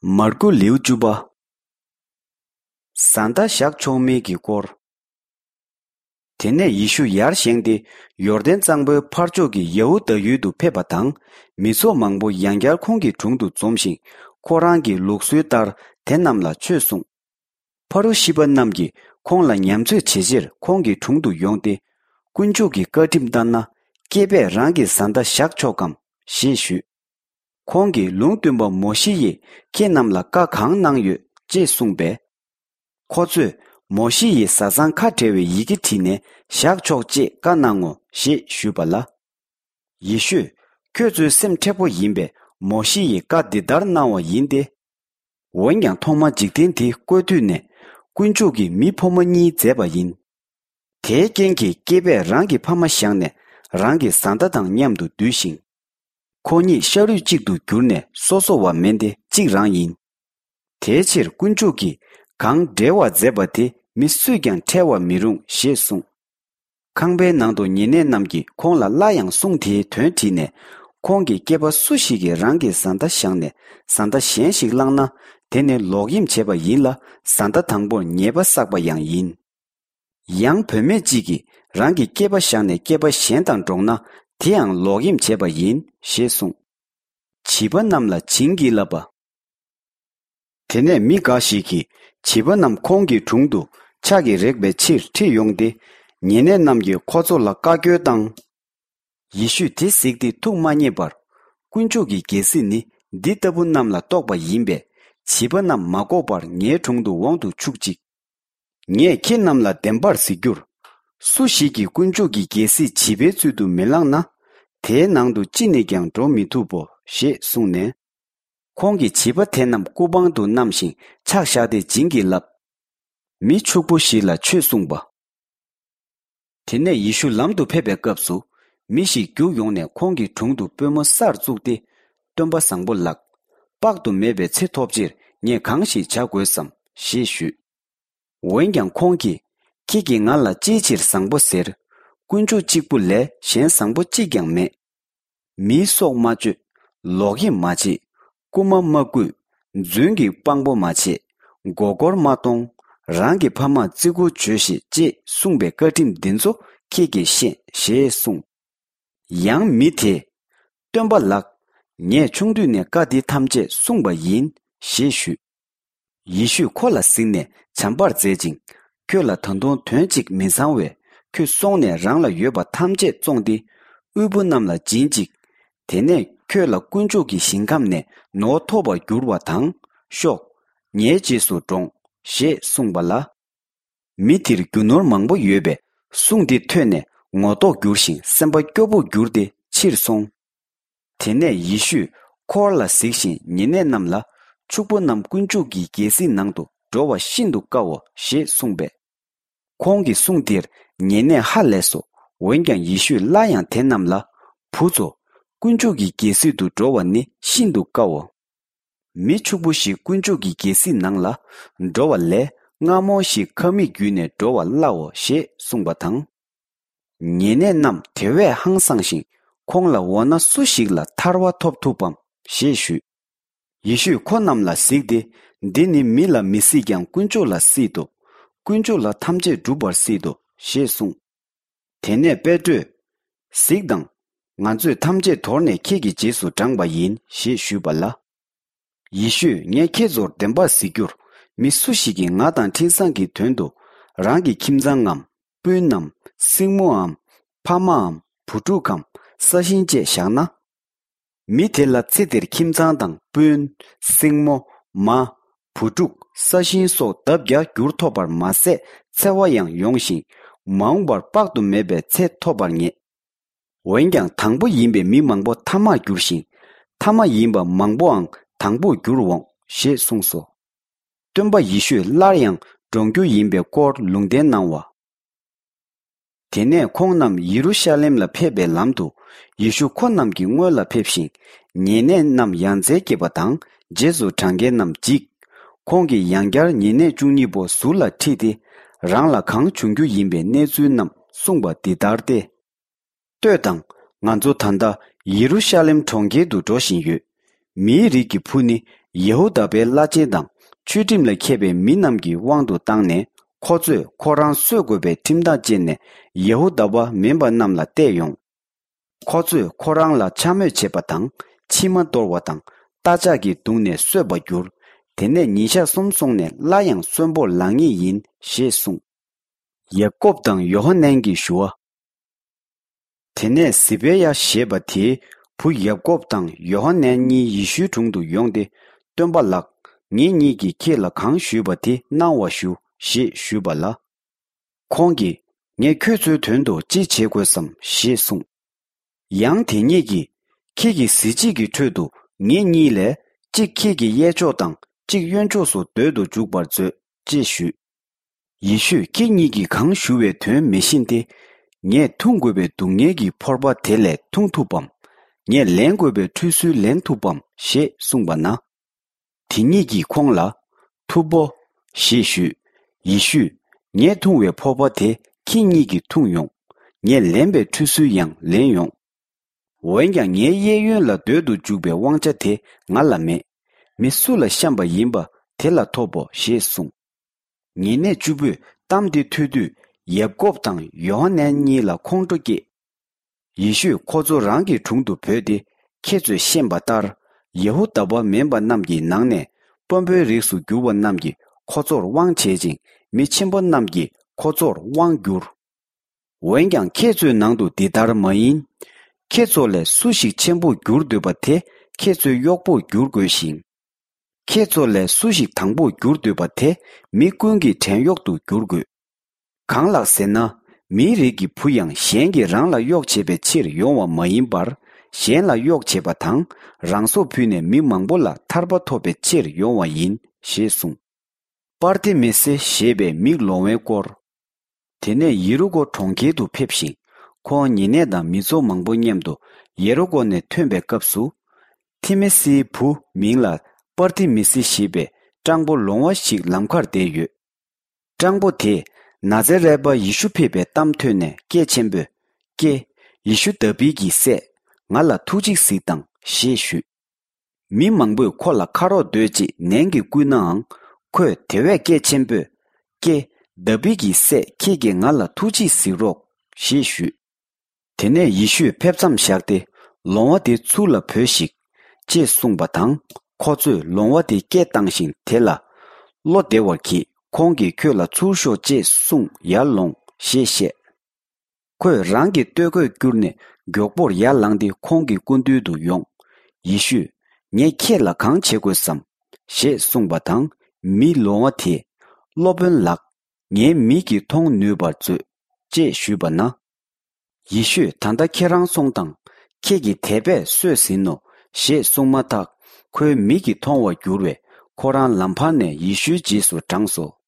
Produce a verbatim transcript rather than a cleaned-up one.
མར་ཁུ་ལེའུ་བཅུ་པ། བཟའ་ཟླ་བཞག་ཆོག་མིན་གྱི་སྐོར། དེ་ནས་ཡེ་ཤུ་ཡར་བཞེངས་ཏེ། ཡོར་དན་གཙང་པོའི་ཕར་ཕྱོགས་ཀྱི་ཡ་ཧུ་དཱ་ཡུལ་དུ་ཕེབས་པ་དང་། མི་ཚོགས་མང་པོ་ཡང་བསྐྱར་ཁོང་གི་དྲུང་དུ་འཛོམས་ཤིང་། ཁོ་རང་གི་ལུགས་སྲོལ་ལྟར་དེ་རྣམས་ལ་ཆོས་གསུངས། ཕ་རུ་ཤི་པ་རྣམས་ཀྱིས་ཁོང་ལ་ཉམས་ཚོད་བྱེད་ཕྱིར་ཁོང་གི་དྲུང་དུ་ཡོང་སྟེ། དཀོན་མཆོག་གི་བཀའ་ཁྲིམས་ལྟར་ན། སྐྱེས་པས་རང་གི་བཟའ་ཟླ་བཞག་ཆོག་གམ་ཞེས་ཞུས། ཁོང་གིས། ལུང་སྟོན་པ་མོ་ཤེ་ཡིས་ཁྱེད་རྣམས་ལ་བཀའ་གང་གནང་ཡོད་ཅེས་གསུངས་པས། ཁོ་ཚོས། མོ་ཤེ་ཡིས་བཟའ་ཚང་ཁ་བྲལ་བའི་ཡི་གེ་བྲིས་ནས་བཞག་ཆོག་ཅེས་བཀའ་གནང་ངོ་ཞེས་ཞུས་པ་ལ། ཡེ་ཤུས། ཁྱོད་ཚོའི་སེམས་མཁྲེགས་པོ་ཡིན་པས་མོ་ཤེ་ཡིས་བཀའ་འདི་ལྟར་གནང་བ་ཡིན་ཏེ། འོན་ཀྱང་ཐོག་མར་འཇིག་རྟེན་འདི་བཀོད་དུས་ནས། དཀོན་མཆོག་གིས་མི་ཕོ་མོ་གཉིས་མཛད་པ་ཡིན། དེའི་རྐྱེན་གྱིས་སྐྱེས་པས་རང་གི་ཕ་མ་བཞག་ནས་རང་གི་བཟའ་ཟླ་དང་མཉམ་དུ་འདུས་ཤིང་། ཁོ་གཉིས་ཤ་རུས་གཅིག་ཏུ་གྱུར་ནས་སོ་སོ་བ་མིན་ཏེ་གཅིག་རང་ཡིན། དེའི་ཕྱིར་དཀོན་མཆོག་གིས་གང་འབྲེལ་བར་མཛད་པ་དེ་མི་སུས་ཀྱང་ཕྲལ་བར་མི་རུང་ཞེས་གསུངས། ཁང་པའི་ནང་དུ་ཉེ་གནས་རྣམས་ཀྱིས་ཁོང་ལ་སླར་ཡང་གསུང་དེའི་དོན་དྲིས་ནས། ཁོང་གིས་སྐྱེས་པ་སུ་ཞིག་གིས་རང་གི་བཟའ་ཟླ་བཞག་ནས་བཟའ་ཟླ་གཞན་ཞིག་བླངས་ན། དེ་ནི་ལོག་གཡེམ་བྱས་པ་ཡིན་ལ། བཟའ་ཟླ་དང་པོར་ཉེས་པ་བསགས་པ་ཡང་ཡིན། ཡང་བུད་མེད་ཅིག་གིས་རང་གི་སྐྱེས་པ་བཞག་ནས་སྐྱེས་པ་གཞན་དང་འགྲོགས་ན། དེའང་ལོག་གཡེམ་བྱས་པ་ཡིན་ཞེས་གསུངས། བྱིས་པ་རྣམས་ལ་བྱིན་གྱིས་བརླབས་པ། དེ་ནས་མི་འགའ་ཞིག་གིས་བྱིས་པ་རྣམས་ཁོང་གི་དྲུང་དུ་ཕྱག་གིས་རེག་པའི་ཕྱིར་ཁྲིད་ཡོང་སྟེ། ཉེ་གནས་རྣམས་ཀྱིས་ཁོ་ཚོ་ལ་བཀའ་བཀྱོན་བཏང་། ཡེ་ཤུས་དེ་གཟིགས་ཏེ་ཐུགས་མ་མཉེས་པར། དཀོན་མཆོག་གི་རྒྱལ་སྲིད་ནི་འདི་ལྟ་བུ་རྣམས་ལ་གཏོགས་པ་ཡིན་པས། བྱིས་པ་རྣམས་མ་འགོག་པར་ངའི་དྲུང་དུ་འོང་དུ་ཆུག་ཅིག། ངས་ཁྱེད་རྣམས་ལ་བདེན་པར་ཟེར་རྒྱུར། སུ་ཞིག་གིས་དཀོན་མཆོག་གི་རྒྱལ་སྲིད་བྱིས་པའི་ཚུལ་དུ་མི་བླངས་ན། དེའི་ནང་དུ་ཅི་ནས་ཀྱང་འགྲོ་མི་ཐུབ་བོ་ཞེས་གསུངས་ནས། ཁོང་གིས་བྱིས་པ་དེ་རྣམས་སྐུ་པང་དུ་བསྣམས་ཤིང་ཕྱག་བཞག་སྟེ་བྱིན་གྱིས་བརླབས། མི་ཕྱུག་པོ་ཞིག་ལ་ཆོས་གསུངས་པ། དེ་ནས་ཡེ་ཤུ་ལམ་དུ་ཕེབས་པའི་སྐབས་སུ། མི་ཞིག་རྒྱུགས་ཡོང་ནས་ཁོང་གི་དྲུང་དུ་པུས་མོ་སར་བཙུགས་ཏེ། སྟོན་པ་བཟང་པོ་ལགས། དཔག་ཏུ་མེད་པའི་ཚེ་ཐོབ་ཕྱིར་ངས་གང་ཞིག་བྱ་དགོས་སམ་ཞེས་ཞུས། འོན་ཀྱང་ཁོང་གིས། ཁྱེད་ཀྱིས་ང་ལ་ཅིའི་ཕྱིར་བཟང་པོ་ཟེར། དཀོན་མཆོག་གཅིག་པུ་ལས་གཞན་བཟང་པོ་གཅིག་ཀྱང་མེད། མིའི་སྲོག་མ་གཅོད། ལོག་གཡེམ་མ་བྱེད། རྐུན་མ་མ་རྐུ། རྫུན་གྱི་དཔང་པོ་མ་བྱེད། མགོ་སྐོར་མ་གཏོང་། རང་གི་ཕ་མར་བརྩི་བཀུར་བྱོས་ཤིག་ཅེས་གསུངས་པའི་བཀའ་ཁྲིམས་འདི་ཚོ་ཁྱེད་ཀྱིས་ཤེས་ཞེས་གསུངས། ཡང་མི་དེས། སྟོན་པ་ལགས། ངས་ཆུང་དུས་ནས་བཀའ་འདི་ཐམས་ཅད་བསྲུངས་པ་ཡིན་ཞེས་ཞུས། ཡེ་ཤུས་ཁོ་ལ་གཟིགས་ནས་བྱམས་པར་མཛད་ཅིང་། ཁྱོད་ལ་ད་དུང་དོན་གཅིག་མི་ཚང་བས། ཁྱོད་སོང་ནས་རང་ལ་ཡོད་པ་ཐམས་ཅད་བཙོངས་ཏེ། དབུལ་པོ་རྣམས་ལ་སྦྱིན་ཅིག། དེ་ནས་ཁྱོད་ལ་དཀོན་མཆོག་གི་ཞིང་ཁམས་ནས་ནོར་ཐོབ་པར་འགྱུར་བ་དང་། ཤོག། ངའི་རྗེས་སུ་འབྲོངས་ཞེས་གསུངས་པ་ལ། མི་དེར་རྒྱུ་ནོར་མང་པོ་ཡོད་པས། གསུང་འདི་ཐོས་ནས་ངོ་ལྡོག་འགྱུར་ཞིང་སེམས་པ་སྐྱོ་པོར་གྱུར་ཏེ་ཕྱིར་སོང་། དེ་ནས་ཡེ་ཤུས་འཁོར་ལ་གཟིགས་ཤིང་ཉེ་གནས་རྣམས་ལ། ཕྱུག་པོ་རྣམས་དཀོན་མཆོག་གི་རྒྱལ་སྲིད་ནང་དུ་འགྲོ་བ་ཤིན་ཏུ་དཀའོ་ཞེས་གསུངས་པས། ཁོང་གི་གསུང་དེར་ཉེ་གནས་ཧ་ལས་སོ། འོན་ཀྱང་ཡེ་ཤུས་སླར་ཡང་དེ་རྣམས་ལ། བུ་ཚོ། དཀོན་མཆོག་གི་རྒྱལ་སྲིད་དུ་འགྲོ་བ་ནི་ཤིན་ཏུ་དཀའོ། མི་ཕྱུག་པོ་ཞིག་དཀོན་མཆོག་གི་རྒྱལ་སྲིད་ནང་ལ་འགྲོ་བ་ལས། རྔ་མོང་ཞིག་ཁབ་མིག་བརྒྱུད་ནས་འགྲོ་བ་སླའོ་ཞེས་གསུངས་པ་དང་། ཉེ་གནས་རྣམས་དེ་བས་ཧང་སངས་ཤིང་། ཁོང་ལ་འོ་ན་སུ་ཞིག་ལ་ཐར་བ་ཐོབ་ཐུབ་བམ་ཞེས་ཞུས། ཡེ་ཤུས་ཁོ་རྣམས་ལ་གཟིགས་ཏེ། འདི་ནི་མི་ལ་མི་སྲིད་ཀྱང་དཀོན་མཆོག་ལ་སྲིད་དོ། དཀོན་མཆོག་ལ་ཐམས་ཅད་འགྲུབ་པར་སྲིད་དོ་ཞེས་གསུངས། དེ་ནས་པེ་ཏྲོས། གཟིགས་དང་། ང་ཚོས་ཐམས་ཅད་དོར་ནས་ཁྱེད་ཀྱི་རྗེས་སུ་འབྲངས་པ་ཡིན་ཞེས་ཞུས་པ་ལ། ཡེ་ཤུས་ངས་ཁྱེད་ཚོར་བདེན་པར་ཟེར་རྒྱུར། མི་སུ་ཞིག་གིས་ང་དང་འཕྲིན་བཟང་གི་དོན་དུ། རང་གི་ཁྱིམ་ཚང་ངམ། སྤུན་ནམ། སྲིང་མོའམ། ཕ་མའམ། བུ་ཕྲུག་གམ། ས་ཞིང་བཅས་བཞག་ན། མི་དེ་ལ་ཚེ་འདིར་ཁྱིམ་ཚང་དང་སྤུན། སྲིང་མོ། མ། བུ་ཕྲུག་ས་ཞིང་སོགས་ལྡབ་བརྒྱ་འགྱུར་ཐོབ་པར་མ་ཟད་འཚེ་བ་ཡང་ཡོང་ཞིང་། མ་འོངས་པར་དཔག་ཏུ་མེད་པའི་ཚེ་ཐོབ་པར་ངེས། འོན་ཀྱང་དང་པོ་ཡིན་པའི་མི་མང་པོ་ཐ་མར་འགྱུར་ཞིང་། ཐ་མ་ཡིན་པ་མང་པོའང་དང་པོར་འགྱུར་འོང་ཞེས་གསུངས་སོ། སྟོན་པ་ཡེ་ཤུས་སླར་ཡང་འགྲོངས་རྒྱུ་ཡིན་པའི་སྐོར་ལུང་བསྟན་གནང་བ། དེ་ནས་ཁོང་རྣམས་ཡེ་རུ་ཤ་ལེམ་ལ་ཕེབས་པའི་ལམ་དུ། ཡེ་ཤུ་ཁོ་རྣམས་ཀྱི་སྔོན་ལ་ཕེབས་ཤིང་། ཉེ་གནས་རྣམས་ཡ་མཚན་སྐྱེས་པ་དང་། རྗེས་སུ་འབྲང་མཁན་རྣམས་འཇིགས། ཁོང་གིས་ཡང་བསྐྱར་ཉེ་གནས་བཅུ་གཉིས་པོ་ཟུར་ལ་ཁྲིད་དེ། རང་ལ་གང་བྱུང་རྒྱུ་ཡིན་པའི་གནས་ཚུལ་རྣམས་གསུངས་པ་འདི་ལྟར་ཏེ། ལྟོས་དང་། ང་ཚོ་ད་ལྟ་ཡེ་རུ་ཤ་ལེམ་གྲོང་ཁྱེར་དུ་འགྲོ་བཞིན་ཡོད། མིའི་རིགས་ཀྱི་བུ་ནི་ ཡ་ཧུ་དཱ་པའི་བླ་ཆེན་དང་ཆོས་ཁྲིམས་ལ་མཁས་པའི་མི་རྣམས་ཀྱི་དབང་དུ་བཏང་ནས། ཁོ་ཚོས་ཁོ་རང་གསོད་དགོས་པའི་ཁྲིམས་ཐག་བཅད་ནས། ཡ་ཧུ་དཱ་པ་མིན་པ་རྣམས་ལ་གཏད་ཡོང་། ཁོ་ཚོས་ཁོ་རང་ལ་འཕྱ་སྨོད་བྱེད་པ་དང་། མཆིལ་མ་གཏོར་བ་དང་། རྟ་ལྕག་གིས་བརྡུངས་ནས་གསོད་པར་འགྱུར། དེ་ནས་ཉིན་ཞག་གསུམ་སོང་ནས། སླར་ཡང་གསོན་པོར་ལང་ངེས་ཡིན། ཞེས་གསུངས། ཡ་ཀོབ་དང་ཡོ་ཧ་ནན་གྱི་ཞུ་བ། དེ་ནས་ཟི་བེ་ཡ་ཞེས་པ་དེའི་བུ་ཡ་ཀོབ་དང་ཡོ་ཧ་ནན་གཉིས་ཡེ་ཤུའི་དྲུང་དུ་ཡོང་སྟེ། སྟོན་པ་ལགས། ངེད་གཉིས་ཀྱིས་ཁྱེད་ལ་གང་ཞུས་པ་དེ་གནང་བར་ཞུ། ཞེས་ཞུས་པ་ལ། ཁོང་གིས། ངས་ཁྱོད་ཚོའི་དོན་དུ་ཅི་བྱེད་དགོས་སམ། ཞེས་གསུངས། ཡང་དེ་ཉིད་ཀྱིས། ཁྱེད་ཀྱི་གཟི་བརྗིད་ཀྱི་ཁྲོད་དུ་ངེད་གཉིས་ལས་གཅིག་ཁྱེད་ཀྱི་གཡས་ཕྱོགས་དང་གཅིག་གཡོན་ཕྱོགས་སུ་སྡོད་དུ་འཇུག་པར་མཛོད། ཅེས་ཞུས། ཡེ་ཤུས། ཁྱེད་གཉིས་ཀྱིས་གང་ཞུ་བའི་དོན་མི་ཤེས་ཏེ། ངས་འཐུང་དགོས་པའི་སྡུག་བསྔལ་གྱི་ཕོར་པ་དེ་ལས་འཐུང་ཐུབ་བམ། ངས་ལེན་དགོས་པའི་ཁྲུས་གསོལ་ལེན་ཐུབ་བམ། ཞེས་གསུངས་པ་ན། དེ་ཉིད་ཀྱིས་ཁོང་ལ། ཐུབ་བོ། ཞེས་ཞུས། ཡེ་ཤུས། ངས་འཐུང་བའི་ཕོར་པ་དེ་ཁྱེད་གཉིས་ཀྱིས་འཐུང་ཡོང་། ངས་ལེན་པའི་ཁྲུས་གསོལ་ཡང་ལེན་ཡོང་། འོན་ཀྱང་ངའི་གཡས་གཡོན་ལ་སྡོད་དུ་འཇུག་པའི་དབང་ཆ་དེ་ང་ལ་མེད། མི་སུ་ལ་བཤམས་པ་ཡིན་པ་དེ་ལ་ཐོབ་བོ། ཞེས་གསུངས། ཉེ་གནས་བཅུ་པོས་གཏམ་དེ་ཐོས་དུས། ཡབ་ཀོབ་དང་ཡོ་ཧ་ནན་གཉིས་ལ་ཁོང་ཁྲོ་སྐྱེས། ཡེ་ཤུས་ཁོ་ཚོ་རང་གི་དྲུང་དུ་བོས་ཏེ། ཁྱེད་ཚོས་ཤེས་པ་ལྟར། ཡ་ཧུ་དཱ་པ་མིན་པ་རྣམས་ཀྱི་ནང་ནས། དཔོན་པོའི་རིགས་སུ་གྱུར་པ་རྣམས་ཀྱིས་ཁོ་ཚོར་དབང་བྱེད་ཅིང་། མི་ཆེན་པོ་རྣམས་ཀྱིས་ཁོ་ཚོར་དབང་བསྒྱུར། འོན་ཀྱང་ཁྱེད་ཚོའི་ནང་དུ་འདི་ལྟར་མ་ཡིན། ཁྱེད་ཚོ་ལས་སུ་ཞིག་ཆེན་པོར་འགྱུར་འདོད་པ་དེ། ཁྱེད་ཚོའི་གཡོག་པོར་འགྱུར་དགོས་ཤིང་། ཁྱེད་ཚོ་ལས་སུ་ཞིག་དང་པོར་འགྱུར་འདོད་པ་དེ། མི་ཀུན་གྱི་བྲན་གཡོག་ཏུ་འགྱུར་དགོས། གང་ལགས་ཟེར་ན། མིའི་རིགས་ཀྱི་བུ་ཡང་གཞན་གྱིས་རང་ལ་གཡོག་བྱེད་པའི་ཕྱིར་ཡོང་བ་མ་ཡིན་པར། གཞན་ལ་གཡོག་བྱེད་པ་དང་། རང་སྲོག་ཕུལ་ནས་མི་མང་པོ་ལ་ཐར་པ་ཐོབ་པའི་ཕྱིར་ཡོང་བ་ཡིན། ཞེས་གསུངས། པར་ཏི་མི་སེ་ཞེས་པའི་མིག་ལོང་བའི་སྐོར། དེ་ནས་ཡེ་རུ་ཀོ་གྲོང་ཁྱེར་དུ་ཕེབས་ཤིང་། ཁོང་ཉེ་གནས་དང་མི་ཚོགས་མང་པོ་མཉམ་དུ་ཡེ་རུ་ཀོ་ནས་ཐོན་པའི་སྐབས་སུ། ཐི་མི་སིའི་བུ་མིང་ལ་པར་ཏི་མི་སི་ཞེས་པའི་སྤྲང་པོ་ལོང་བ་ཞིག་ལམ་ཁར་བསྡད་ཡོད། སྤྲང་པོ་དེས་ན་ཛ་རད་པ་ཡེ་ཤུ་ཕེབས་པའི་གཏམ་ཐོས་ནས་སྐད་ཆེན་པོས། ཀྱེ། ཡེ་ཤུ་དཱ་བིད་ཀྱི་སྲས། ང་ལ་ཐུགས་རྗེས་གཟིགས་དང་། ཞེས་ཞུས། མི་མང་པོས་ཁོ་ལ་ཁ་རོག་སྡོད་ཅེས་ནན་གྱིས་བསྐུལ་ནའང་། ཁོས་དེ་བས་སྐད་ཆེན་པོས། ཀྱེ། དཱ་བིད་ཀྱི་སྲས། ཁྱེད་ཀྱིས་ང་ལ་ཐུགས་རྗེས་གཟིགས་རོགས། ཞེས་ཞུས། དེ་ནས་ཡེ་ཤུས་ཕེབས་མཚམས་བཞག་སྟེ། ལོང་བ་དེ་ཚུར་ལ་བོས་ཤིག། ཅེས་གསུངས་པ་དང་། ཁོ་ཚོས་ལོང་བ་དེ་སྐད་བཏང་ཞིང་དེ་ལ། བློ་བདེ་བར་གྱིས། ཁོང་གིས་ཁྱོད་ལ་ཚུར་ཤོག་ཅེས་གསུངས། ཡར་ལོངས། ཞེས་བཤད། ཁོས་རང་གི་སྟོད་གོས་བསྐྱུར་ནས་མགྱོགས་པོར་ཡར་ལངས་ཏེ་ཁོང་གི་སྐུ་མདུན་དུ་ཡོང་། ཡེ་ཤུས། ངས་ཁྱེད་ལ་གང་བྱེད་དགོས་སམ། ཞེས་གསུངས་པ་དང་། མི་ལོང་བ་དེས། སློབ་དཔོན་ལགས། ངའི་མིག་གིས་མཐོང་ནུས་པར་མཛོད། ཅེས་ཞུས་པ་ན། ཡེ་ཤུས། ད་ལྟ་ཁྱེད་རང་སོང་དང་། ཁྱེད་ཀྱིས་དེ་བས་གསོས་ཟིན་ནོ། ཞེས་གསུངས་མ་ཐག་ཁོའི་མིག་གིས་མཐོང་བར་འགྱུར་བས། ཁོ་རང་ལམ་བར་ནས་ཡེ་ཤུའི་རྗེས་སུ་འབྲངས་སོ།